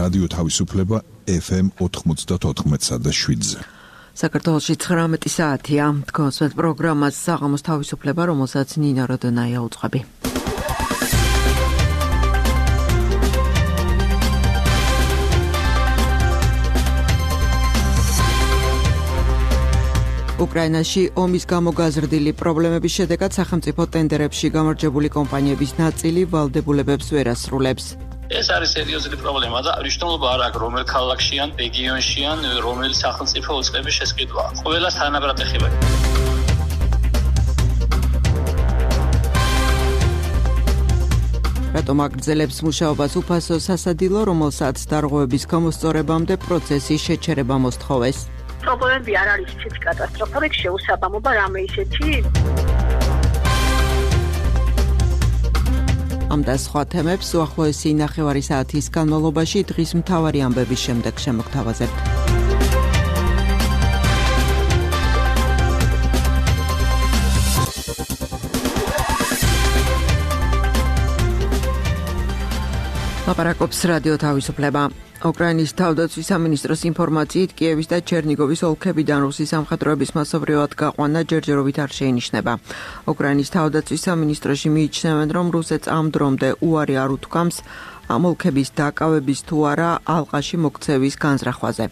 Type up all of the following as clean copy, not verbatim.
რადიო თავისუფლება FM 94.7-ზე. საქართველოში 19 საათია. თქვენს პროგრამას საღამოს თავისუფლება, რომელსაც ნინა როდონაია უძღვები. უკრაინაში ომის გამო გაზრდილი პრობლემების შედეგად სახელმწიფო ტენდერებში გამარჯვებული კომპანიების ნაწილი ვალდებულებებს ვერ ასრულებს. ეს არის სერიოზული პრობლემა და მნიშვნელობა არ აქვს რომელ ქალაქში ან რეგიონში ან რომელი სახელმწიფო უწყების შესყიდვა. ყველას თანაბრად ეხება. რატომ აგრძელებს მუშაობას უფასო სასადილო, რომელსაც დარღვევების გამოსწორებამდე პროცესის შეჩერება მოსთხოვეს? პრობლემები არ არის ისეთი კატასტროფა, შეუსაბამობა რამე ისეთი. ამ და სხვა თემებს უახლოესი ნახევარი საათის განმავლობაში დღის მთავარი ამბების შემდეგ შემოგთავაზებთ. ლაპარაკობს რადიო თავისუფლება. უკრაინის თავდაცვის სამინისტროს ინფორმაციით, კიევის და ჩერნიგოვის ოლქებიდან რუსის სამხედროების მასობრივად გაყვანა ჯერჯერობით არ შეინიშნება. უკრაინის თავდაცვის სამინისტროში მიიჩნევენ, რომ რუსეთს ამ დრომდე უარი არ უთქვამს ამ ოლქების დაკავების თუ არა ალყაში მოქცევის განზრახვაზე.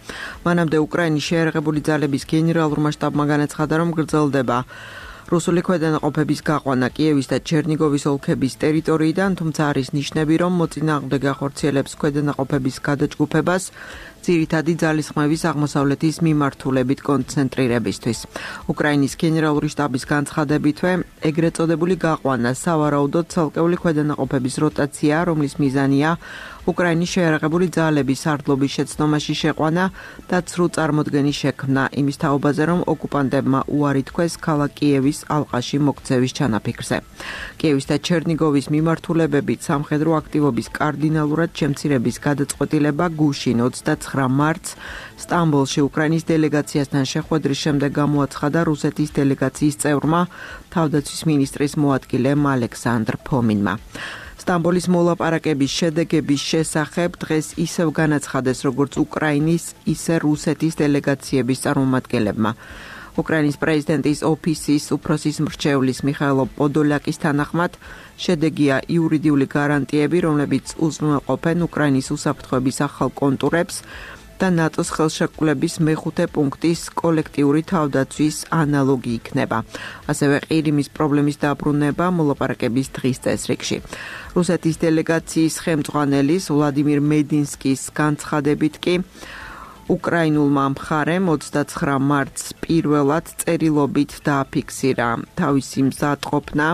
მანამდე უკრაინის შეიარაღებული ძალების გენერალურმა შტაბმა განაცხადა, რომ გრძელდება რუსული ქვედანაყოფების გაყვანა კიევის და ჩერნიგოვის ოლქების ტერიტორიიდან, თუმცა არის ნიშნები, რომ მოწინააღმდეგე ახორციელებს ქვედანაყოფების გადაჯგუფებას ძირითადი ძალისხმევის აღმოსავლეთის მიმართულებით კონცენტრირებისთვის. უკრაინის გენერალური შტაბის განცხადებითვე, ეგრეთ წოდებული გაყვანა სავარაუდოდ ცალკეული ქვედანაყოფების როტაცია, რომლის მიზანია უკრაინის შეიარაღებული ძალების სარდლობის შეცდომაში შეყვანა და ცრუ წარმოდგენის შექმნა იმის თაობაზე, რომ ოკუპანტებმა უარი თქვეს ქალაქ კიევის ალყაში მოქცევის ჩანაფიქრზე. კიევის და ჩერნიგოვის მიმართულებებით სამხედრო აქტივობის კარდინალურად შემცირების გადაწყვეტილება გუშინ 29 მარტს სტამბოლში უკრაინის დელეგაციასთან შეხვედრის შემდეგ გამოაცხადა რუსეთის დელეგაციის წევრმა თავდაცვის მინისტრის მოადგილემ ალექსანდრ ფომინმა. სტამბოლის მოლაპარაკების შედეგების შესახებ დღეს ისევ განაცხადეს როგორც უკრაინის, ისე რუსეთის დელეგაციების წარმომადგენლებმა. უკრაინის პრეზიდენტის ოფისის უფროსის მრჩევლის მიხაილო პოდოლაკის თანახმად შედეგია იურიდიული გარანტიები, რომლებიც უზრუნველყოფენ უკრაინის უსაფრთხოების ახალ კონტურებს და ნატოს ხელშეკრულების მეხუთე პუნქტის კოლექტიური თავდაცვის ანალოგი იქნება. ასევე ყირიმის პრობლემის დაბრუნება მოლაპარაკების დღის წესრიგში. რუსეთის დელეგაციის ხელმძღვანელის ვლადიმირ მედინსკის განცხადებით კი უკრაინულმა მხარემ 29 მარტს პირველად წერილობით დააფიქსირა თავისი მზადყოფნა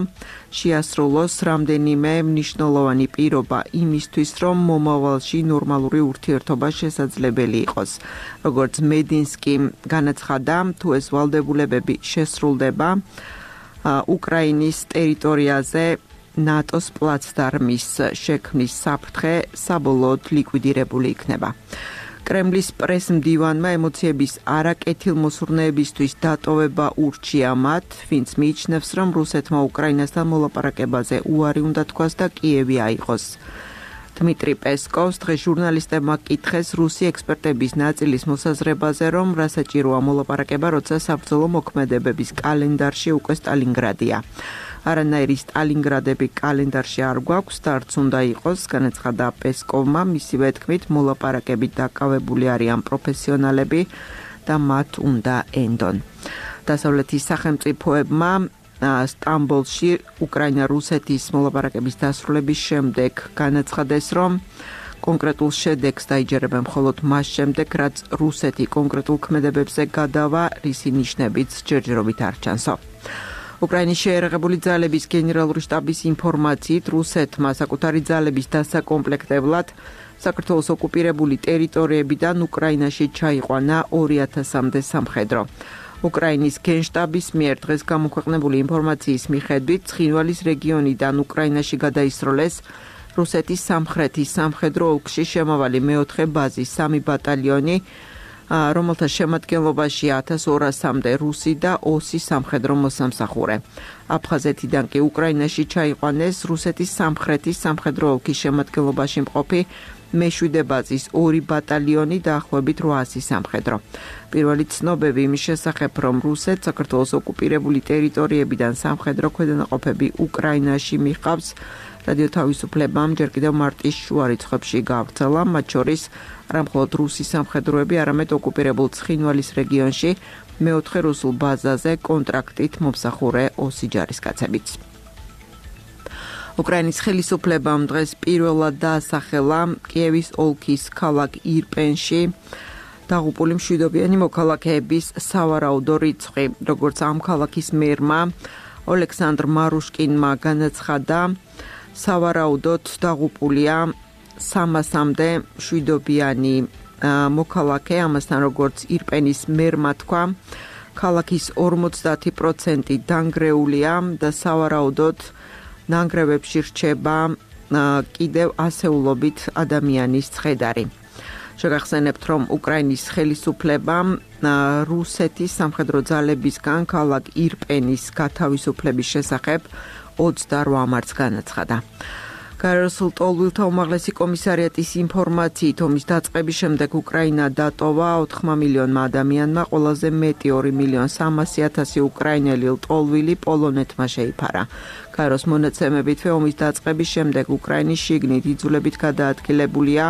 შეასრულოს რამდენიმე მნიშვნელოვანი პირობა იმისთვის, რომ მომავალში ნორმალური ურთიერთობა შესაძლებელი იყოს. როგორც მედინსკი განაცხადა, თუ ეს ვალდებულებები შესრულდება, უკრაინის ტერიტორიაზე ნატოს პლაცდარმის შექმნის საფრთხე საბოლოოდ ლიკვიდირებული იქნება. კრემლის პრესმდივანმა ემოციების არაკეთილმოსურნეებისთვის დატოვება ურჩია მათ, ვინც მიიჩნევს, რომ რუსეთმა უკრაინასთან მოლაპარაკებაზე უარი უნდა თქვას და კიევი აიღოს. დმიტრი პესკოვს დღეს ჟურნალისტებმა კითხეს რუსი ექსპერტების ნაწილის მოსაზრებაზე, რომ რა საჭიროა მოლაპარაკება, როცა საბრძოლო მოქმედებების კალენდარში უკვე სტალინგრადია. არანაირი სტალინგრადები კალენდარში არ გვაქვს და არც უნდა იყოს, განაცხადა პესკოვმა, მისივე თქმით, მოლაპარაკებით დაკავებული არიან პროფესიონალები და მათ უნდა ენდონ. დასავლეთის სახელმწიფოებმა სტამბოლში უკრაინა-რუსეთის მოლაპარაკების დასრულების შემდეგ განაცხადეს, რომ კონკრეტულ შედეგს დაიჯერებენ მხოლოდ მას შემდეგ, რაც რუსეთი კონკრეტულ ქმედებებზე გადავა, რისი ნიშნებიც ჯერჯერობით არ ჩანსო. უკრაინის შეიარაღებული ძალების გენერალური შტაბის ინფორმაციით, რუსეთმა საკუთარი ძალების დასაკომპლექტებლად საქართველოს ოკუპირებული ტერიტორიებიდან უკრაინაში ჩაიყვანა 2000-მდე სამხედრო. უკრაინის გენშტაბის მიერ დღეს გამოქვეყნებული ინფორმაციის მიხედვით, ცხინვალის რეგიონიდან უკრაინაში გადაისროლეს რუსეთის სამხრეთის სამხედრო ოლქში შემავალი მეოთხე ბაზის 3 ბატალიონი, რომელთა შემადგენლობაში 1200-მდე რუსი და ოსი სამხედრო მოსამსახურე. აფხაზეთიდან კი უკრაინაში ჩაიყვანეს რუსეთის სამხრეთის სამხედრო ოლქის შემადგენლობაში მყოფი მე-7 ბაზის 2 ბატალიონი დაახლოებით 800 სამხედრო. პირველი ცნობები იმის შესახებ, რომ რუსეთს საქართველოს ოკუპირებული ტერიტორიებიდან სამხედრო ქვედანაყოფები უკრაინაში მიჰყავს, რადიო თავისუფლებამ ჯერ კიდევ მარტის შუა რიცხვებში გავრცელა, მათ შორის არა მხოლოდ რუსი სამხედროები, არამედ ოკუპირებულ ცხინვალის რეგიონში მე-4 რუსულ ბაზაზე კონტრაქტით მომსახურე ოსი ჯარისკაცებიც. უკრაინის ხელისუფლებამ დღეს პირველად დაასახელა კიევის ოლქის ქალაქ ირპენში დაღუპული მშვიდობიანი მოქალაქეების სავარაუდო რიცხვი, როგორც ამ ქალაქის მერმა ოლექსანდრ მარუშკინმა განაცხადა, სავარაუდოდ დაღუპულია 300-მდე მშვიდობიანი მოქალაქე, ამასთან როგორც ირპენის მერმა თქვა, ქალაქის 50% დანგრეულია და სავარაუდოდ ნანგრევებში რჩება კიდევ ასეულობით ადამიანის ცხედარი. შეგახსენებთ, რომ უკრაინის ხელისუფლებამ რუსეთის სამხედრო ძალებისგან ქალაქ ირპენის გათავისუფლების შესახებ 28 მარტს განაცხადა. გარსულ ტოლვილთა უმაღლესი კომისარიატის ინფორმაციით, ომის დაწყების შემდეგ უკრაინა დატოვა 4 მილიონმა ადამიანმა, ყველაზე მეტი 2.300.000 უკრაინელი ლტოლვილი პოლონეთმა შეიფარა. გაროს მონაცემებითვე ომის დაწყების შემდეგ უკრაინის შიგნით იძულებით გადაადგილებულია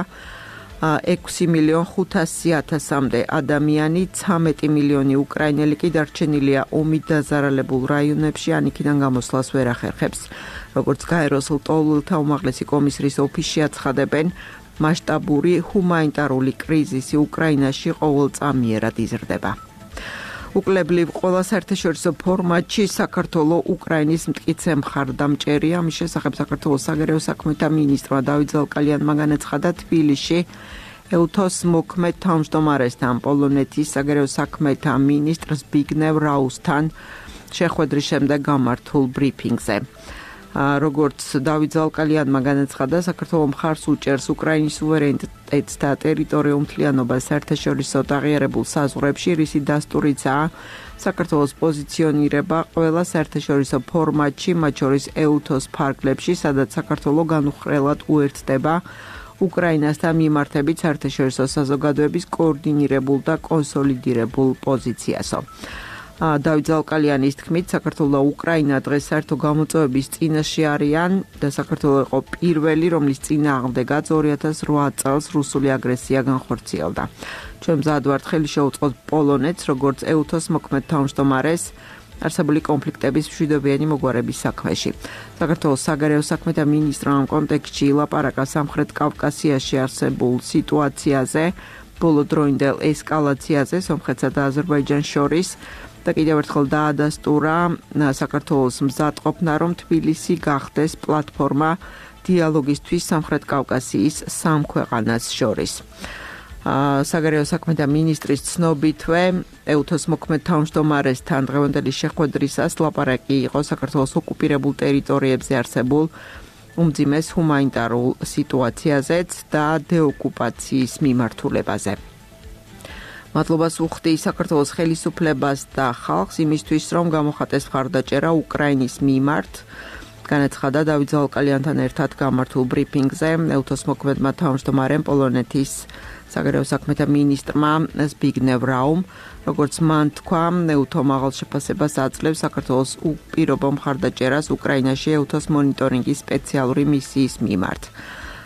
6.500.000-მდე ადამიანი, 13 მილიონი უკრაინელი კი დარჩენილია ომით დაზარალებულ რაიონებში, ან იქიდან გამოსვლას ვერ ახერხებს. როგორც გაეროს ლტოლვილთა უმაღლესი კომისრის ოფისში აცხადებენ, მასშტაბური ჰუმანიტარული კრიზისი უკრაინაში ყოველწამიერად იზრდება. უკლებლივ ყველა საერთაშორისო ფორმატში საქართველოს უკრაინის მტკიცე მხარდამჭერია. ამის შესახებ საქართველოს საგარეო საქმეთა მინისტრმა დავით ზალკალიანმა განაცხადა თბილისში ელთოს მოქმედ თავმჯდომარესთან, პოლონეთის საგარეო საქმეთა მინისტრ ზბიგნევ რაუსთან შეხვედრის შემდეგ გამართულ ბრიფინგზე. როგორც დავით ზალკალიანმა განაცხადა, საქართველოს მხარს უჭერს უკრაინის სუვერენიტეტს და ტერიტორიულ მთლიანობას საერთაშორისო აღიარებულ საზღვრებში, რისი დასტურიცაა საქართველოს პოზიციონირება ყველა საერთაშორისო ფორმატში, მათ შორის ეუთოს ფარგლებში, სადაც საქართველოს განუხრელად უერთდება უკრაინასთან მიმართებით საერთაშორისო საზოგადოების კოორდინირებულ და კონსოლიდირებულ პოზიციასო. დავით ზალკალიანის თქმით, საქართველოს და უკრაინა დღეს საერთო გამოწვევების წინაშე არიან და საქართველოს იყო პირველი, რომლის წინააღმდეგაც 2008 წელს რუსული აგრესია განხორციელდა. ჩვენ მზად ვართ ხელი შევუწყოთ პოლონეთს, როგორც ეუთოს მოქმედ თავმჯდომარეს არსებული კონფლიქტების მშვიდობიანი მოგვარების საქმეში. საქართველოს საგარეო საქმეთა მინისტრმა ამ კონტექსტში ილაპარაკა სამხრეთ კავკასიაში არსებულ სიტუაციაზე, ბოლოდროინდელ ესკალაციაზე სომხეთსა და აზერბაიჯანს შორის და კიდევ ერთხელ დაადასტურა საქართველოს მზადყოფნა, რომ თბილისი გახდეს პლატფორმა დიალოგისთვის სამხრეთ კავკასიის სამ ქვეყანას შორის. საგარეო საქმეთა მინისტრის ცნობითვე ეუთოს მოქმედ თავმჯდომარესთან დღევანდელი შეხვედრისას ლაპარაკი იყო საქართველოს ოკუპირებულ ტერიტორიებზე არსებულ უმძიმეს ჰუმანიტარულ სიტუაციაზეც და დეოკუპაციის მიმართულებაზე. მადლობას უხდი საქართველოს ხელისუფლებას და ხალხს იმისთვის, რომ გამოხატეს მხარდაჭერა უკრაინის მიმართ. განაცხადა დავით ზალკალიანთან ერთად გამართულ ბრიფინგზე ეუთოს მოქმედმა თავმჯდომარემ პოლონეთის საგარეო საქმეთა მინისტრმა ზბიგნევ რაუმ, როგორც მან თქვა, ეუთო მაღალ შეფასებას აძლევს საქართველოს უპირობო მხარდაჭერას უკრაინაში ეუთოს მონიტორინგის სპეციალური მისიის მიმართ.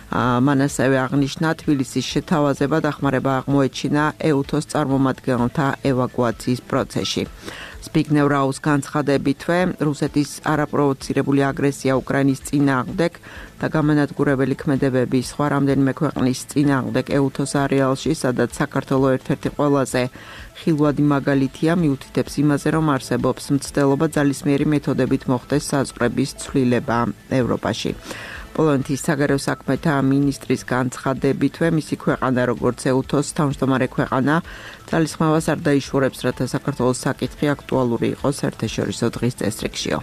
მან ასევე აღნიშნა თბილისის შეთავაზება დახმარება აღმოეჩინა ეუთოს წარმომადგენელთა ევაკუაციის პროცესში. ზბიგნევ რაუს განცხადებითვე, რუსეთის არაპროვოცირებული აგრესია უკრაინის წინააღმდეგ და გამანადგურებელი ქმედებები სხვა რამდენიმე ქვეყნის წინააღმდეგ ეუთოს არეალში, სადაც საქართველოს ერთ-ერთი ყველაზე ხილვადი მაგალითია, მიუთითებს იმაზე, რომ არსებობს მცდელობა ძალისმიერი მეთოდებით მოხდეს საზღვრების ცვლილება ევროპაში. პოლონეთის საგარეო საქმეთა მინისტრის განცხადებითვე, მისი ქვეყანა როგორც ეუთოს თავმჯდომარე ქვეყანა ძალისხმევას არ დაიშურებს, რათა საქართველოს საკითხი აქტუალური იყოს საერთაშორისო დღის წესრიგშიო.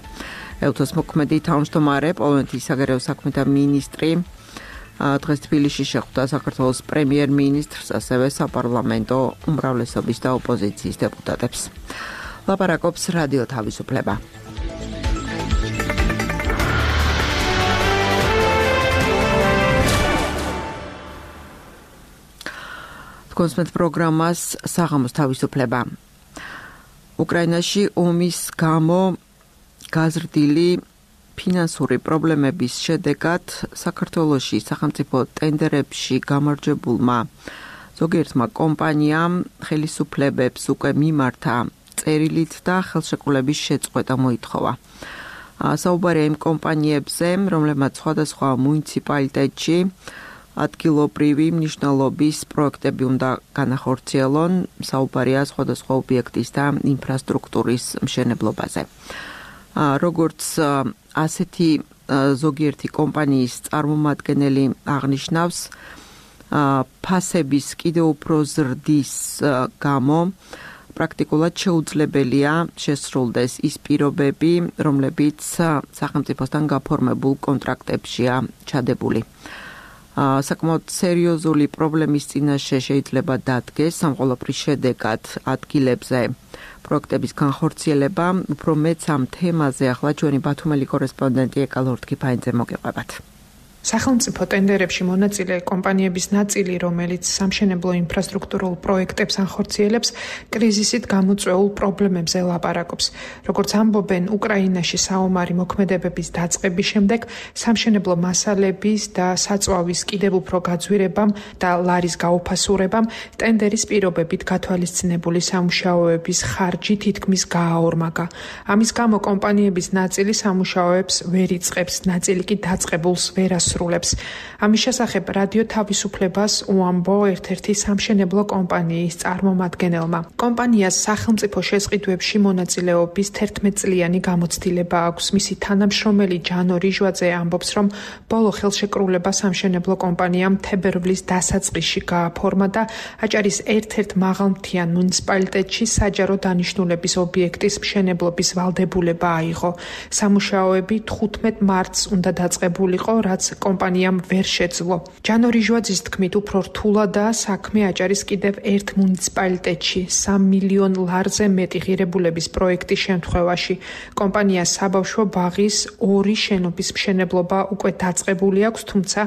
ეუთოს მოქმედი თავმჯდომარე პოლონეთის საგარეო საქმეთა მინისტრი დღეს თბილისში შეხვდა საქართველოს პრემიერ-მინისტრს, ასევე საპარლამენტო უმრავლესობის და ოპოზიციის დეპუტატებს. ლაპარაკობს რადიო თავისუფლება. კონსმეთ პროგრამას საღამოს თავისუფლება. უკრაინაში ომის გამო გაზრდილი ფინანსური პრობლემების შედეგად საქართველოში სახელმწიფო ტენდერებში გამარჯვებულმა ზოგიერთმა კომპანიამ ხელისუფლებებს უკვე მიმართა წერილით და ხელშეკრულების შეწყვეტა მოითხოვა. საუბარია იმ კომპანიებზე, რომლებმაც სხვადასხვა მუნიციპალიტეტში ადგილობრივი მნიშვნელობის პროექტები უნდა განახორციელონ, საუბარია სხვადასხვა ობიექტის და ინფრასტრუქტურის მშენებლობაზე. როგორც ასეთი ზოგიერთი კომპანიის წარმომადგენელი აღნიშნავს, ფასების კიდევ უფრო ზრდის გამო პრაქტიკულად შეუძლებელია შესრულდეს ის პირობები, რომლებიც სახელმწიფოსთან გაფორმებულ კონტრაქტებშია ჩადებული. საკმაოდ სერიოზული პრობლემის წინაშე შეიძლება დადგეს სამყოლობრის შედეგად ადგილებზე პროექტების განხორციელება. უფრო მეც ამ თემაზე ახლა ჩვენი ბათუმელი კორესპონდენტი ეკა ლორთქიფაინძე მოგეყვებათ. სახელმწიფო ტენდერებში მონაწილე კომპანიების ნაწილი, რომელიც სამშენებლო ინფრასტრუქტურულ პროექტებს ანხორციელებს, კრიზისით გამოწვეულ პრობლემებზე ლაპარაკობს. როგორც ამბობენ, უკრაინაში საომარი მოქმედებების დაწყების შემდეგ სამშენებლო მასალების და საწვავის კიდევ უფრო გაძვირებამ და ლარის გაუფასურებამ ტენდერის პირობებით გათვალისწინებული სამუშაოების ხარჯი თითქმის გააორმაგა. ამის გამო კომპანიების ნაწილი სამუშაოებს ვერ იწყებს, ნაწილი კი დაწყებულს ვერ ამის შესახებ რადიო თავისუფლებას უამბო ერთ-ერთი სამშენებლო კომპანიის წარმომადგენელმა. კომპანიას სახელმწიფო შესყიდვებში მონაწილეობის 11 წლიანი გამოცდილება აქვს. მისი თანამშრომელი ჯანო რიჟვაძე ამბობს, რომ ბოლო ხელშეკრულება სამშენებლო კომპანიამ თებერვლის დასაწყისში გააფორმა და აჭარის ერთ-ერთ მაღალმთიან მუნიციპალიტეტში საჯარო დანიშნულების ობიექტის მშენებლობის ვალდებულება აიღო. სამუშაოები 15 მარტს უნდა დაწყებულიყო, რაც კომპანიამ ვერ შეძლო. ჯანო რიჟვაძის თქმით, უფრო რთულადაა საქმე აჭარის კიდევ ერთ მუნიციპალიტეტში 3 მილიონ ლარზე მეტი ღირებულების პროექტის შემთხვევაში. კომპანიას საბავშვო ბაღის 2 შენობის მშენებლობა უკვე დაწყებული აქვს, თუმცა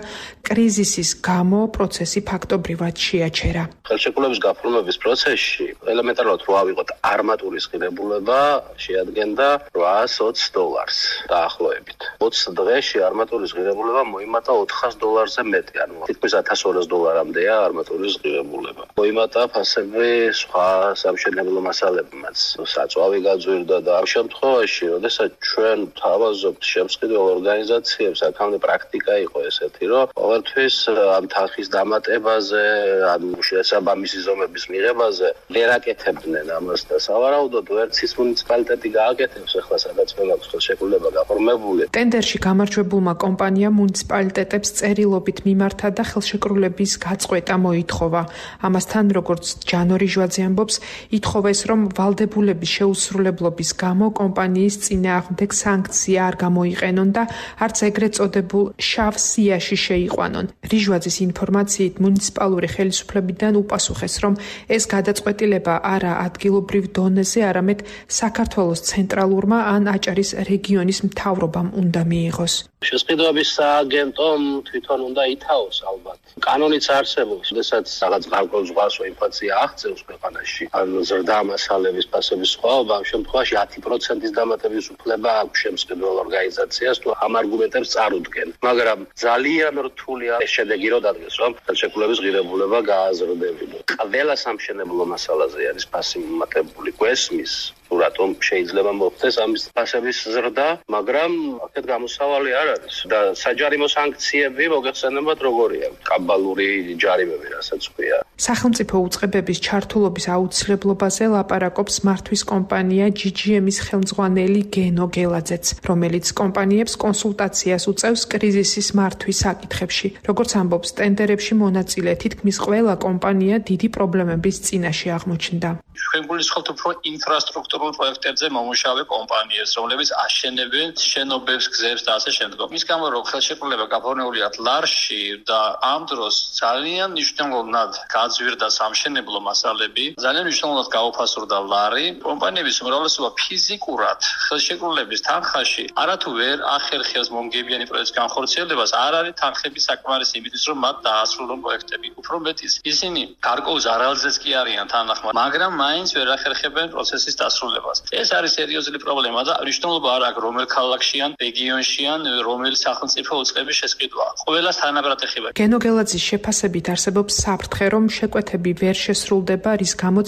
კრიზისის გამო პროცესი ფაქტობრივად შეაჩერა. ხელშეკრულების გაფორმების პროცესში ელემენტარულად რო ავიღოთ არმატურის ღირებულება შეადგენდა $820 დაახლოებით. 20 დღეში არმატურის ღირებულება მოიმატა $400-ზე მეტი, ანუ თითქმის $1200-მდეა არმატურის ღირებულება. მოიმატა ფასები სხვა სამშენებლო მასალებმაც, საწვავი გაძვირდა და ამ შემთხვევაში, როდესაც ჩვენ თავაზობთ შემსყიდველ ორგანიზაციებს, აქამდე პრაქტიკა იყო ესეთი, რომ ყოველთვის ამ თანხის დამატებაზე, ან შესაბამისი ზომების მიღებაზე ვერ აკეთებდნენ ამას და სავარაუდოდ ვერც ის მუნიციპალიტეტი გააკეთებს, ახლა სადაც მემაქვს ხელშეკრულება გაფორმებული. ტენდერში გამარჯვებულმა კომპანიამ მუნიციპალიტეტებს წერილობით მიმართა და ხელშეკრულების გაწყვეტა მოითხოვა. ამასთან, როგორც ჯანო რიჟვაძე ამბობს, ითხოვეს, რომ ვალდებულების შეუსრულებლობის გამო კომპანიის წინააღმდეგ სანქცია არ გამოიყენონ და არც ეგრეთ წოდებულ შავ სიაში შეიყვანონ. რიჟვაძის ინფორმაციით მუნიციპალური ხელისუფლებიდან უპასუხეს, რომ ეს გადაწყვეტილება არა ადგილობრივ დონეზე, არამედ საქართველოს ცენტრალურმა ან აჭარის რეგიონის მთავრობამ უნდა მიიღოს. შესყიდვების სააგენტომ თვითონ უნდა ითავოს ალბათ. კანონიც არსებობს, როდესაც რაღაც გარკვეულ ზღვასო ინფლაცია აღწევს ქვეყანაში, ან ზრდა მასალების ფასების სხვაობა, ამ შემთხვევაში 10%-ის დამატების უფლება აქვს შემსყიდველ ორგანიზაციას, თუ ამ არგუმენტებს წარუდგენ. მაგრამ ძალიან რთულია ეს შედეგი რო დადგეს, რომ ხელშეკრულების ღირებულება გააზრდებინო. ყველა სამშენებლო მასალაზე არის ფასი მომატებული, გვესმის თუ რატომ შეიძლება მოხდეს ამის ფასების ზრდა, მაგრამ აქეთ გამოსავალი არ არის და საჯარიმო სანქციები მოგეხსენებათ როგორია, კაბალური ჯარიმები, რასაც ქვია. სახელმწიფო უწყებების ჩართულობის აუცილებლობაზე ლაპარაკობს მართვის კომპანია GGM-ის ხელმძღვანელი გენო გელაძეც, რომელიც კომპანიებს კონსულტაციას უწევს კრიზისის მართვის საკითხებში. როგორც ამბობს, ტენდერებში მონაწილე თითქმის ყველა კომპანია დიდი პრობლემების წინაშე აღმოჩნდა. ჩვენ გულისხმობთ უფრო ინფრასტრუქტურულ პროექტებზე მომუშავე კომპანიებს, რომლებიც აშენებენ შენობებს, გზებს და ასე შემდგომ. მის გამო რომ ხელშეკრულება გაფორმებულია ლარში და ამ დროს ძალიან მნიშვნელოვნად გაძვირდა სამშენებლო მასალები, ძალიან მნიშვნელოვნად გაუფასურდა ლარი. კომპანიების უმრავლესობა ფიზიკურად ხელშეკრულების თანხაში არათუ ვერ ახერხებს მომგებიანი პროექტის განხორციელებას, არ არის თანხების საკმარისი იმისთვის, რომ მათ დაასრულონ პროექტები. უფრო მეტიც, ისინი გარკვეულ ზარალზეც კი არიან თანახმად, მაგრამ მაინც ვერ ახერხებენ პროცესის დასრულებას. ეს არის სერიოზული პრობლემა და მნიშვნელობა არ აქვს რომელ ქალაქში ან რეგიონში ან რომელ სახელმწიფო უწყების შესყიდვაა. ყველას თანაბრად ეხება. გენო გელაძის შეფასებით არსებობს საფრთხე, რომ შეკვეთები ვერ შესრულდება, რის გამოც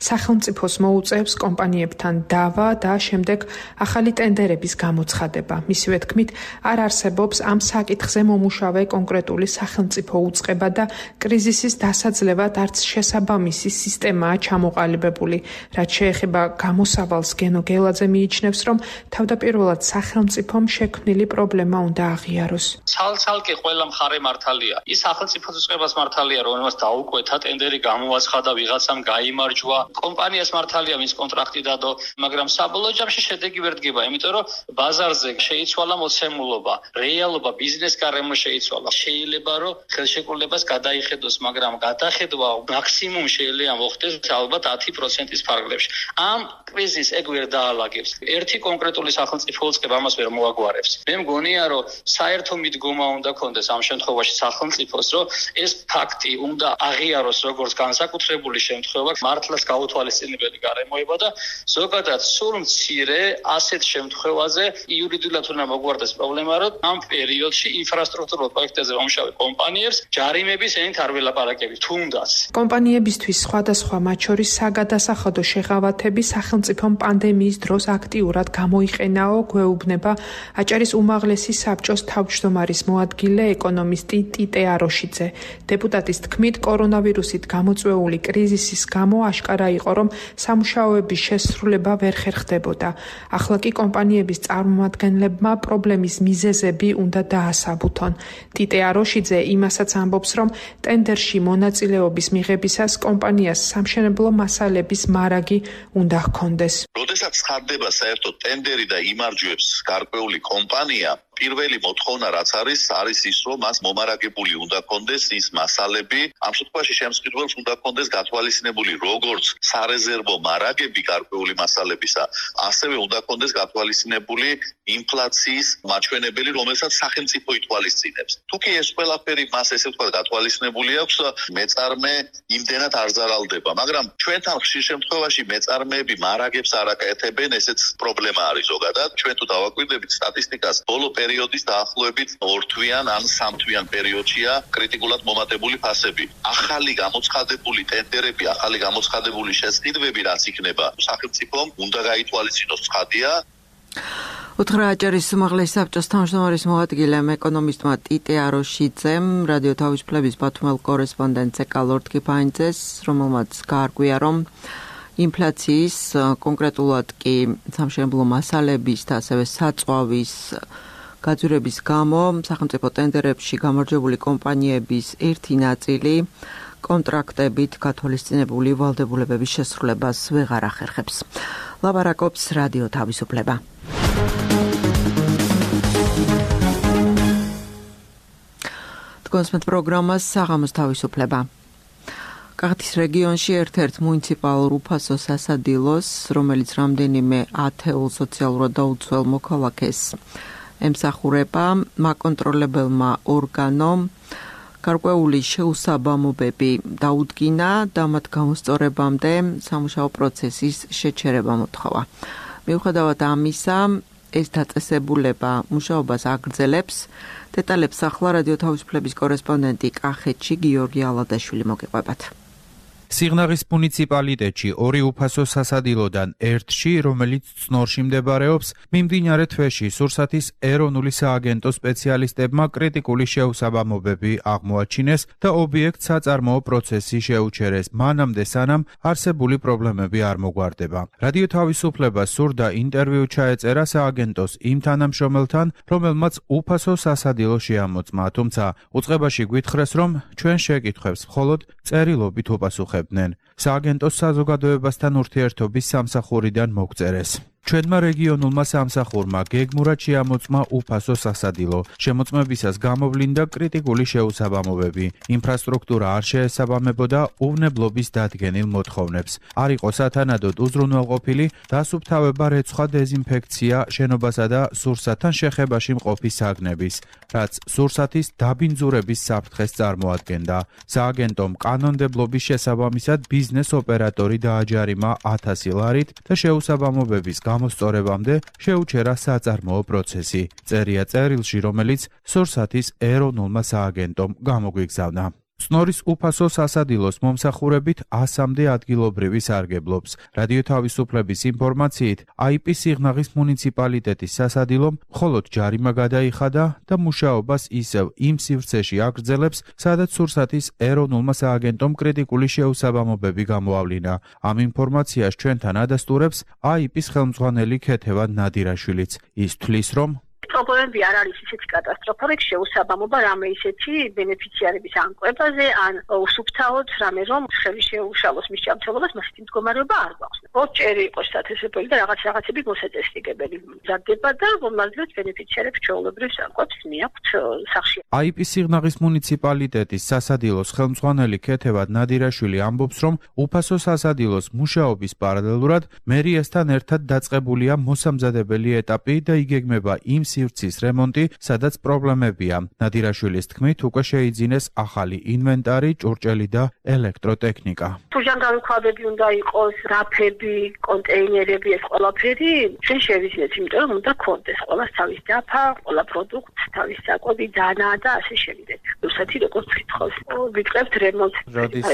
სახელმწიფოს მოუწევს კომპანიებთან დავა და შემდეგ ახალი ტენდერების გამოცხადება. მისივე თქმით, არ არსებობს ამ საკითხზე მომუშავე კონკრეტული სახელმწიფო უწყება და კრიზისის დასაძლევად არც შესაბამისი სისტემაა ჩამოყალიბებული. რაც შეეხება გამოსავალს, გენო გელაძე მიიჩნევს, რომ თავდაპირველად სახელმწიფომ შექმნილი პრობლემა უნდა აღიაროს. ცალ-ცალკე ყველა მხარე მართალია. ის სახელმწიფოს უწყებას მართალია, რომელმაც დაუკვეთა ტენდერი გამოაცხადა, ვიღაცამ გაიმარჯვა. კომპანიას მართალია, მის კონტრაქტი დადო, მაგრამ საბოლოო ჯამში შედეგი ვერ დგება, იმიტომ რომ ბაზარზე შეიცვალა მოცემულობა, რეალობა, ბიზნეს გარემო შეიცვალა. შეიძლება რომ ხელშეკრულებას გადაიხედოს, მაგრამ გადახედვა მაქსიმუმ შეიძლება მოხდეს ალბათ 10%-ის ფარგლებში. ამ კრიზისს ეგ ვერ დაალაგებს. ერთი კონკრეტული სახელმწიფო უწყება ამას ვერ მოაგვარებს. მე მგონია, რომ საერთო მიდგომა უნდა კონდეს ამ შემთხვევაში სახელმწიფოს, რომ ეს ფაქტი უნდა აღიაროს როგორც განსაკუთრებული შემთხვევა, მართლაც გაუთვალისწინებელი გარემოება და ზოგადად სულ მცირე ასეთ შემთხვევაზე იურიდიულად უნდა მოგვარდეს პრობლემა, რომ ამ პერიოდში ინფრასტრუქტურულ პროექტებზე მომუშავე კომპანიებს ჯარიმების ენით არ ველაპარაკებით, თუნდაც. კომპანიებისთვის სხვადასხვა მათ შორის საგადასახადო შეღავათები სახელმწიფომ პანდემიის დროს აქტიურად გამოიყენაო, გვეუბნება აჭარის უმაღლესი საბჭოს თავმჯდომარის მოადგილე ეკონომისტი ტიტე აროშიძე. დეპუტატის თქმით, კორონავირუსით გამოწვეული კრიზისის გამო აშკარა იყო, რომ სამუშაოების შესრულება ვერ ხერხდებოდა. ახლა კი კომპანიების წარმომადგენლებმა პრობლემის მიზეზები უნდა დაასაბუთონ. ტიტე აროშიძე იმასაც ამბობს, რომ ტენდერში მონაწილეობის მიღებისას კომპანიას სამშენებლო მასალების მარაგი უნდა ჰქონდეს. როდესაც ხარდება საერთოდ ტენდერი და იმარჯვებს გარკვეული კომპანია, პირველი მოთხოვნა რაც არის ის, რომ მას მომარაგებული უნდა ჰქონდეს ის მასალები, ამ შემთხვევაში შემსყიდველს უნდა ჰქონდეს გათვალისწინებული როგორც სარეზერვო მარაგები გარკვეული მასალებისა, ასევე უნდა ჰქონდეს გათვალისწინებული ინფლაციის მაჩვენებელი, რომელსაც სახელმწიფო ითვალისწინებს. თუ კი ეს ყველაფერი მას ესე ვთქვათ გათვალისწინებული აქვს, მეწარმე იმდენად არ ზარალდება, მაგრამ ჩვენთან ხშირ შემთხვევაში მეწარმეები მარაგებს არ აკეთებენ, ესეც პრობლემა არის ზოგადად. ჩვენ თუ დავაკვირდებით სტატისტიკას, ბოლო პერიოდის დაახლოებით 2 თვიან ან 3 თვიან პერიოდშია კრიტიკულად მომატებული ფასები. ახალი გამოცხადებული ტენდერები, ახალი გამოცხადებული შესყიდვები რაც იქნება, სახელმწიფომ უნდა გაითვალისწინოს ცხადია. უთხრა აჭარის უმაღლესი საბჭოს თავმჯდომარის მოადგილემ ეკონომისტმა ტიტე აროშიძემ რადიო თავისუფლების ბათუმელ კორესპონდენტზე კალორდ კიფაინძეს, რომელმაც გაარკვია, რომ ინფლაციის, კონკრეტულად კი სამშენებლო მასალების და ასევე საწვავის გაძვირების გამო სახელმწიფო ტენდერებში გამარჯვებული კომპანიების ერთი ნაწილი კონტრაქტებით გათვალისწინებული ვალდებულებების შესრულებას ვეღარ ახერხებს. ლაპარაკობს რადიო თავისუფლება. კონსმეთ პროგრამას საღამოს თავისუფლება. კახეთის რეგიონში ერთ-ერთ მუნიციპალურ უფასო სასადილოს, რომელიც რამდენიმე ათეულ სოციალურად დაუცველ მოქალაქეს ემსახურება, მაკონტროლებელმა ორგანომ გარკვეული შეუსაბამობები დაუდგინა და მათ გამოსწორებამდე სამუშაო პროცესის შეჩერება მოთხოვა. მიუხედავად ამისა, ეს დაწესებულება მუშაობას აგრძელებს. დეტალებს ახლა რადიო თავისუფლების კორესპონდენტი კახეთში გიორგი ალადაშვილი მოგიყვებათ. სიღნაღის მუნიციპალიტეტში 2 უფასო სასადილოდან ერთში, რომელიც წნორში მდებარეობს, მიმდინარე თვეში სურსათის ეროვნული სააგენტოს სპეციალისტებმა კრიტიკული შეუსაბამობები აღმოაჩინეს და ობიექტს საწარმოო პროცესი შეუჩერეს, მანამდე სანამ არსებული პრობლემები არ მოგვარდება. რადიო თავისუფლება სურდა ინტერვიუ ჩაეწერა სააგენტოს იმ თანამშრომელთან, რომელმაც უფასო სასადილო შეამოწმა, თუმცა უწყებაში გვითხრეს, რომ ჩვენ შეკითხვებს მხოლოდ წერილობით უპასუხებთ. აწუხებდნენ. სააგენტოს საზოგადოებასთან ურთიერთობის სამსახურიდან მოგწერეს. ჩვენმა რეგიონულმა სამსახურმა გეგმურად შეამოწმა უფასო სასადილო. შემოწმებისას გამოვლინდა კრიტიკული შეუსაბამობები. ინფრასტრუქტურა არ შეესაბამებოდა უვნებლობის დადგენილ მოთხოვნებს. არ იყო სათანადოდ უზრუნველყოფილი დასუფთავება, რეცხვა, დეზინფექცია, შენობასა და სურსათთან შეხებაში მყოფი საგნების, რაც სურსათის დაბინძურების საფრთხეს წარმოადგენდა. სააგენტომ კანონმდებლობის შესაბამისად ბიზნეს ოპერატორი დააჯარიმა 1000 ლარით და შეუსაბამობების გამოსწორებამდე შეუჩერა საწარმოო პროცესი. წერია წერილში, რომელიც სურსათის ეროვნულმა სააგენტომ გამოგვიგზავნა. წნორის უფასო სასადილოს მომსახურებით 100-მდე ადგილობრივი სარგებლობს. რადიო თავისუფლების ინფორმაციით, IP სიღნაღის მუნიციპალიტეტის სასადილომ მხოლოდ ჯარიმა გადაიხადა და მუშაობას ისევ იმ სივრცეში აგრძელებს, სადაც სურსათის ეროვნულმა სააგენტომ კრიტიკული შეუსაბამობები გამოავლინა. ამ ინფორმაციას ჩვენთან ადასტურებს IP-ის ხელმძღვანელი ქეთევან ნადირაშვილიც. ის თვლის, რომ პრობლემები არ არის ისეთი კატასტროფა, შეუსაბამობა რამე ისეთი ბენეფიციარების ანკლებაზე, ან უსუფთავოდ რამე რომ ხელი შეუშალოს მის ჯანმრთელობას, მასეთი მდგომარეობა არ გვაქვს. ოჭერი იყოს სტატუსები და რაღაცები მოსაწესრიგებელი მზადდება და რომელზეც ბენეფიციარებს ჩვეულებრივ ანკლებს მიაქვთ სახში. IP სიღნაღის მუნიციპალიტეტის სასადილოს ხელმძღვანელი ქეთევან ნადირაშვილი ამბობს, რომ უფასო სასადილოს მუშაობის პარალელურად მერიასთან ერთად დაწყებულია მოსამზადებელი ეტაპი და იგეგმება იმ სივრცის რემონტი, სადაც პრობლემებია. ნადირაშვილის თქმით, უკვე შეიძინეს ახალი ინვენტარი, ჭურჭელი და ელექტროტექნიკა. ფუჟანგანქვაბები უნდა იყოს, რაფები, კონტეინერები, ეს ყველაფერი ჩვენ შევიძინეთ, იმიტომ რომ უნდა გქონდეს ყველას თავის დაფა, ყველა პროდუქტს თავის საკვები, დანა და ასე შევიდეთ. რუსეთი როგორც გითხოს, ვიწყებთ რემონტს. როდის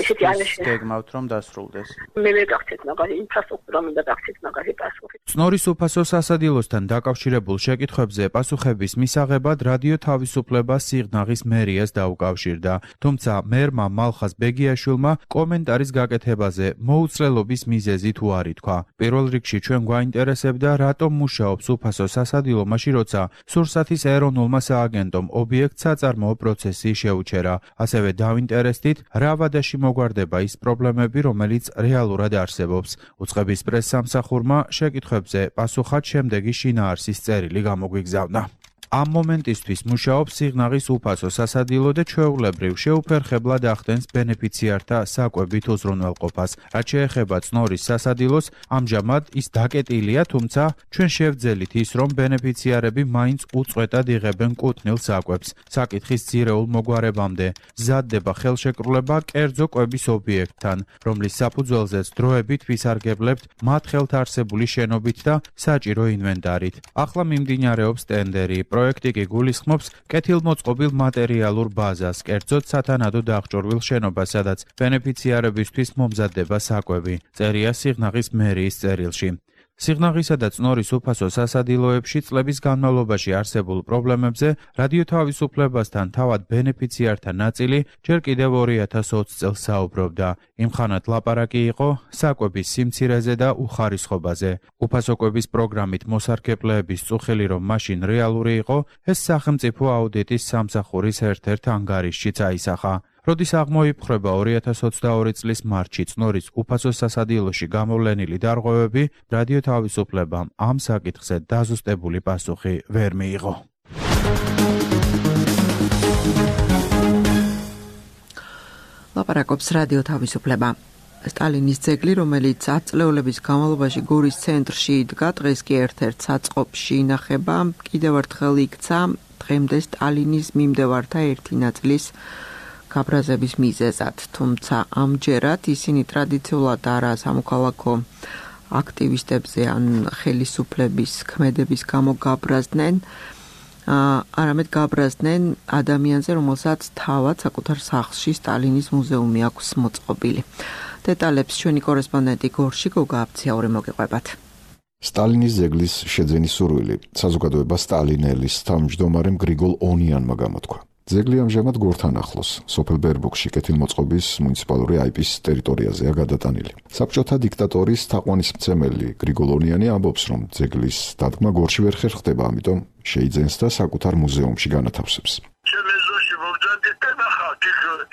გეგმავთ რომ დასრულდეს? მე მეგახსენებთ მაგარი ინფრასტრუქტურა მინდა გახსენოთ მაგარი პასუხი. წნორის უფასო სასადილოსთან დაკავშირებულ შეკითხვებზე პასუხების მისაღებად რადიო თავისუფლება სიღნაღის მერიას დაუკავშირდა, თუმცა მერმა მალხაზ ბეგიაშვილმა კომენტარის გაკეთებაზე მოუცლელობის მიზეზი თუ არ ითქვა. პირველ რიგში ჩვენ გვაინტერესებდა, რატომ მუშაობს უფასო სასადილო მაშინ, როცა სურსათის ეროვნულმა სააგენტომ ობიექტს საწარმოო პროცესი შეუჩერა. ასევე დავინტერესდით, რა ვადაში მოგვარდება ის პრობლემები, რომელიც რეალურად არსებობს. უწყების პრესსამსახურმა შეკითხვებზე პასუხად შემდეგი შინაარსის წერილი გამოგვიგზავნა. ამ მომენტისთვის მუშაობს სიღნაღის უფასო სასადილო და ჩვეულებრივ შეუფერხებლად ახდენს ბენეფიციართა საკვებით უზრუნველყოფას. რაც შეეხება წნორის სასადილოს, ამჟამად ის დაკეტილია, თუმცა ჩვენ შევძელით ის, რომ ბენეფიციარები მაინც უწყვეტად იღებენ კუთვნილ საკვებს. საკითხის ძირეულ მოგვარებამდე მზადდება ხელშეკრულება კერძო კვების ობიექტთან, რომლის საფუძველზეც დროებით ვისარგებლებთ მათ ხელთ არსებული შენობით და საჭირო ინვენტარით. ახლა მიმდინარეობს ტენდერი. პროექტი კი გულისხმობს კეთილმოწყობილ მატერიალურ ბაზას, კერძოდ სათანადო დახჭურვილ შენობას, სადაც ბენეფიციარებისთვის მომზადდება საკვები. წერია სიღნაღის მერიის წერილში. სიღნაღისა და წნორის უფასო სასადილოებში წლების განმავლობაში არსებულ პრობლემებზე რადიო თავისუფლებასთან თავად ბენეფიციართა ნაწილი ჯერ კიდევ 2020 წელს საუბრობდა. იმხანად ლაპარაკი იყო საკვების სიმცირეზე და უხარისხობაზე. უფასო კვების პროგრამით მოსარგებლეების წუხილი რომ მაშინ რეალური იყო, ეს სახელმწიფო აუდიტის სამსახურის ერთ-ერთ ანგარიშშიც აისახა. როდის აღმოიფხრება 2022 წლის მარტში წნორის უფასო სასადილოში გამოვლენილი დარღვევები, რადიო თავისუფლებამ ამ საკითხზე დაზუსტებული პასუხი ვერ მიიღო. ლაპარაკობს რადიო თავისუფლება. სტალინის ძეგლი, რომელიც ათწლეულების განმავლობაში გორის ცენტრში იდგა, დღეს კი ერთ-ერთ საწყობში ინახება, კიდევ ერთხელ იქცა დღემდე სტალინის მიმდევართა ერთი ნაწილის გაბრაზების მიზეზად, თუმცა ამჯერად ისინი ტრადიციულად არა სამოქალაქო აქტივისტებზე ან ხელისუფლების ქმედების გამო გაბრაზდნენ, არამედ გაბრაზდნენ ადამიანზე, რომელსაც თავად საკუთარ სახლში სტალინის მუზეუმი აქვს მოწყობილი. დეტალებს ჩვენი კორესპონდენტი გორში გოგა აფციაური მოგიყვებათ. სტალინის ძეგლის შეძენის სურვილი საზოგადოება სტალინელის თავმჯდომარემ გრიგოლ ონიანმა გამოთქვა. ძეგლი ამჟამად გორთან ახლოს, სოფელ ბერბუქში კეთილმოწყობის მუნიციპალური IP-ის ტერიტორიაზეა გადატანილი. საბჭოთა დიქტატორის თაყვანისმცემელი გრიგოლ ონიანი ამბობს, რომ ძეგლის დადგმა გორში ვერ ხერხდება, ამიტომ შეიძენს და საკუთარ მუზეუმში განათავსებს.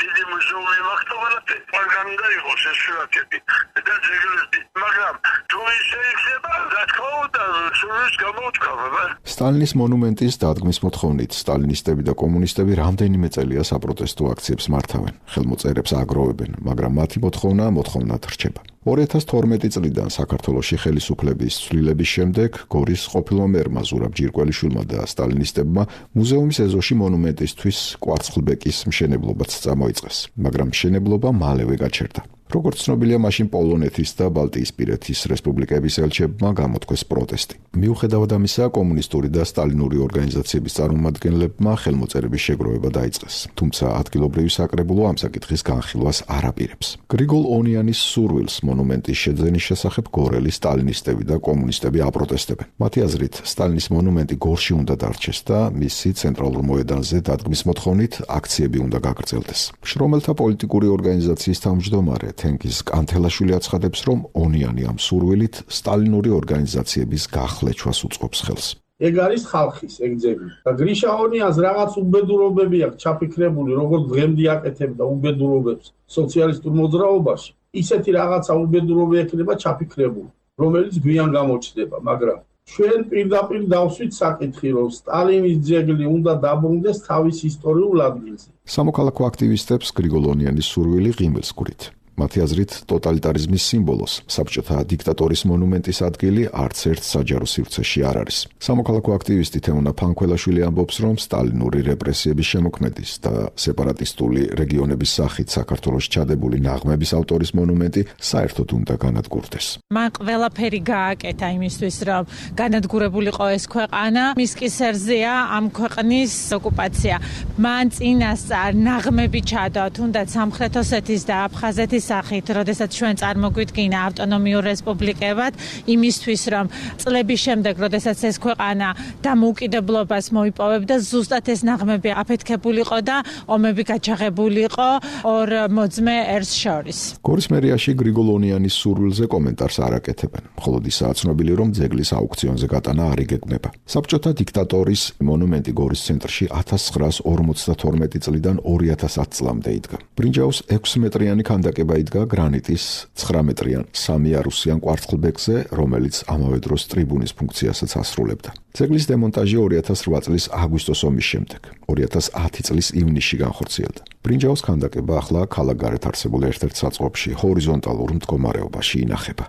დიდი მუზეუმი მაგდრობალათი მაგანდა იყოს ეს სურათები და ძეგლები მაგრამ თუ ისე იქნება რა თქმა უნდა სულს გამოუtkავება სტალინის მონუმენტის დადგმის მოთხოვნით სტალინისტები და კომუნისტები რამდენიმე წელია საპროტესტო აქციებს მართავენ ხელმოწერებს აგროვებენ მაგრამ მათი მოთხოვნად რჩება 2012 წლიდან საქართველოში ხელისუფლების ცვლილების შემდეგ გორის ყოფილმა მერმა ზურაბ ჯირკველიშვილმა და სტალინისტებმა მუზეუმის ეზოში მონუმენტისთვის კვარცხლბეკის მშენებლობაც წამოიწყეს მაგრამ მშენებლობა მალევე გაჩერდა როგორც ცნობილია, მაშინ პოლონეთის და ბალტიისპირეთის რესპუბლიკების ელჩებმა გამოთქვეს პროტესტი. მიუხედავად ამისა, კომუნისტური და სტალინური ორგანიზაციების წარმომადგენლებმა ხელმოწერების შეგროვება დაიწყეს. თუმცა ადგილობრივი საკრებულო ამ საკითხის განხილვას არ აპირებს. გრიგოლ ონიანის სურვილს მონუმენტის შეძენის შესახებ გორელი სტალინისტები და კომუნისტები აპროტესტებენ. მათი აზრით, სტალინის მონუმენტი გორში უნდა დარჩეს და მისი ცენტრალურ მოედანზე დადგმის მოთხოვნით აქციები უნდა გაგრძელდეს. შრომელთა პოლიტიკური ორგანიზაციის თავმჯდომარე თენგიზ კანთელაშვილი აცხადებს, რომ ონიანი ამ სურვილით სტალინური ორგანიზაციების გახლეჩვას უწყობს ხელს. ეგ არის ხალხის ეგძები. და გრიშა ონიანს რაღაც უბედურობები აქვს ჩაფიქრებული, როგორც დღემდე აკეთებდა უბედურობებს სოციალისტურ მოძრაობაში. ისეთი რაღაცა უბედურობა ექნება ჩაფიქრებული, რომელიც გვიან გამოჩნდება, მაგრამ ჩვენ პირდაპირ დავსვით საკითხი, რომ სტალინის ძეგლი უნდა დაბრუნდეს თავის ისტორიულ ადგილზე. სამოქალაქო აქტივისტებს გრიგოლ ონიანის სურვილი ღიმილს გვრით. მათი აზრით, ტოტალიტარიზმის სიმბოლოს, საბჭოთა დიქტატორის მონუმენტის ადგილი არც ერთ საჯარო სივრცეში არ არის. სამოქალაქო აქტივისტი თემუნა ფანქველაშვილი ამბობს, რომ სტალინური რეპრესიების შემოქმედის და სეპარატისტული რეგიონების სახით საქართველოს ჩადებული ნაღმების ავტორის მონუმენტი საერთოდ უნდა განადგურდეს. მან ყველაფერი გააკეთა იმისთვის, რომ განადგურებულიყო ეს ქვეყანა. მის კისერზეა ამ ქვეყნის ოკუპაცია. მან წინასწარ ნაღმები ჩადო, თუნდაც სამხრეთ ოსეთის და აფხაზეთის სახით, როდესაც ჩვენ წარმოგვიდგინა ავტონომიურ რესპუბლიკებად, იმისთვის, რომ წლების შემდეგ, როდესაც ეს ქვეყანა დამოუკიდებლობას მოიპოვებდა, ზუსტად ეს ნაღმები აფეთქებულიყო და ომები გაჩაღებულიყო ორ მოძმე ერს შორის. გორის მერიაში გრიგოლ ონიანის სურვილზე კომენტარს არ აკეთებენ, მხოლოდ ისაა ცნობილი, რომ ძეგლის აუქციონზე გატანა არ იგეგმება. საბჭოთა დიქტატორის მონუმენტი გორის ცენტრში 1952 წლიდან 2010 წლამდე იდგა. ბრინჯაოს 6 მეტრიანი ქანდაკება იდგა გრანიტის 9 მეტრიან 3 იარუსიან კვარცხლბეკზე, რომელიც ამავე დროს ტრიბუნის ფუნქციასაც ასრულებდა. ძეგლის დემონტაჟი 2008 წლის აგვისტოს ომის შემდეგ 2010 წლის ივნისში განხორციელდა. ბრინჯაოს ქანდაკება ახლა ქალაქგარეთ არსებულ ერთ-ერთ საწყობში ჰორიზონტალურ მდგომარეობაში ინახება.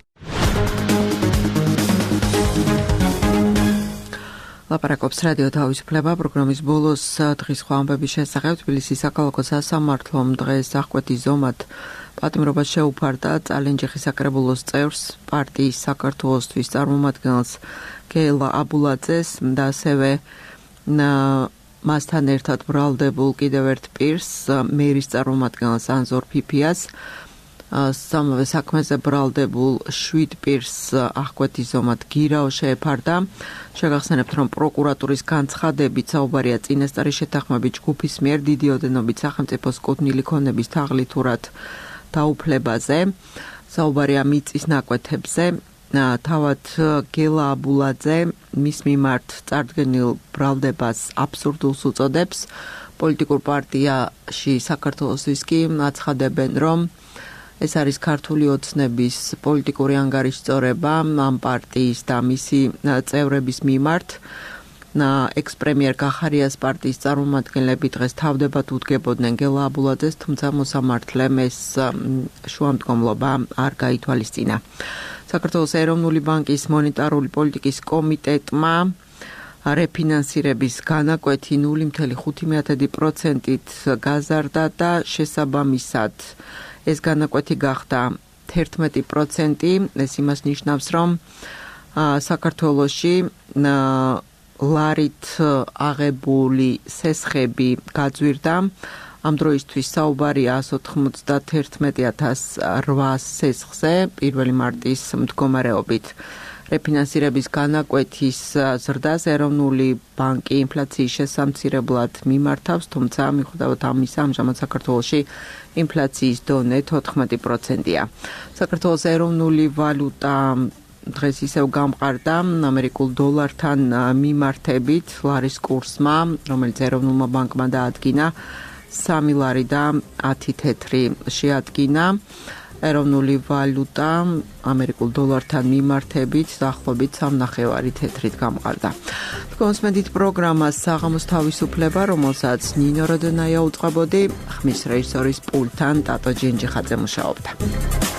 ლაპარაკობს რადიო თავისუფლება პროგრამის ბოლოს დღის ხვამბების შესახებ თბილისის საქალაქო სასამართლომ დღეს აღკვეთის ზომად პატიმრობას შეუფარდა წალენჯიხის საკრებულოს წევრს, პარტიის საქართველოსთვის წარმომადგენელს გელა აბულაძეს და ასევე მასთან ერთად ბრალდებულ კიდევ ერთ პირს, მერის წარმომადგენელს ანზორ ფიფიას, სამავე საქმეზე ბრალდებულ 7 პირს აღკვეთის ზომად გირაო შეეფარდა. შეგახსენებთ, რომ პროკურატურის განცხადებით საუბარია წინასწარი შეთანხმებით ჯგუფის მიერ დიდი ოდენობით სახელმწიფოს კუთვნილი ქონების თაღლითურად დაუფლებაზე, საუბარია მიწის ნაკვეთებზე. თავად გელა აბულაძე მის მიმართ წარდგენილ ბრალდებას აბსურდულს უწოდებს. პოლიტიკურ პარტიაში საქართველოსთვის კი აცხადებენ, რომ ეს არის ქართული ოცნების პოლიტიკური ანგარიშწორება ამ პარტიის და მისი წევრების მიმართ. ექს-პრემიერ კახარიას პარტიის წარმომადგენლები დღეს თავდებად უდგებოდნენ გელა აბულაძეს, თუმცა მოსამართლემ ეს შუამდგომლობა არ გაითვალისწინა. საქართველოს ეროვნული ბანკის მონეტარული პოლიტიკის კომიტეტმა რეფინანსირების განაკვეთი 0.5%-ით გაზარდა და შესაბამისად ეს განაკვეთი გახდა 11%. ეს იმას ნიშნავს, რომ საქართველოში ლარით აღებული სესხები გაძვირდა. ამ დროისთვის საუბარია 191,800 სესხზე 1 მარტის მდგომარეობით. რეფინანსირების განაკვეთის ზრდას ეროვნული ბანკი ინფლაციის შესამცირებლად მიმართავს, თუმცა მიუხედავად ამისა, ამჟამად საქართველოში ინფლაციის დონე 14%-ია. საქართველოს ეროვნული ვალუტა დღეს ისევ გამყარდა ამერიკულ დოლართან მიმართებით ლარის კურსმა, რომელიც ეროვნულმა ბანკმა დაადგინა 3 ლარი და 10 თეთრი შეადგინა. ეროვნული ვალუტა ამერიკულ დოლართან მიმართებით დაახლოებით 3.5 თეთრით გამყარდა. კონსმედით პროგრამას საღამოს თავისუფლება, რომელსაც ნინო როდონაია უწყებოდი, ხმის რეჟისორის პულტთან ტატო ჯინჯიხაძე მუშაობდა.